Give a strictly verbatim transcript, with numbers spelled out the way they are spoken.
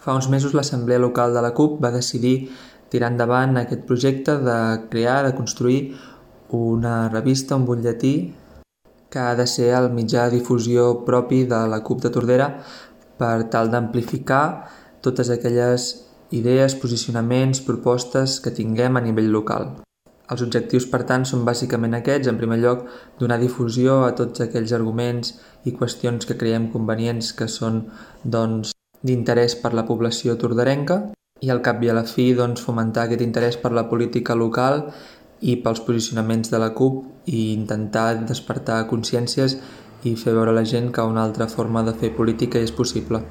Fa uns mesos l'Assemblea Local de la CUP va decidir tirar endavant aquest projecte de crear, de construir una revista, un butlletí, que ha de ser el mitjà de difusió propi de la CUP de Tordera per tal d'amplificar totes aquelles idees, posicionaments, propostes que tinguem a nivell local. Els objectius, per tant, són bàsicament aquests. En primer lloc, donar difusió a tots aquells arguments i qüestions que creiem convenients que són doncs, d'interès per la població torderenca i al cap i a la fi doncs, fomentar aquest interès per la política local i pels posicionaments de la CUP i intentar despertar consciències i fer veure a la gent que una altra forma de fer política és possible.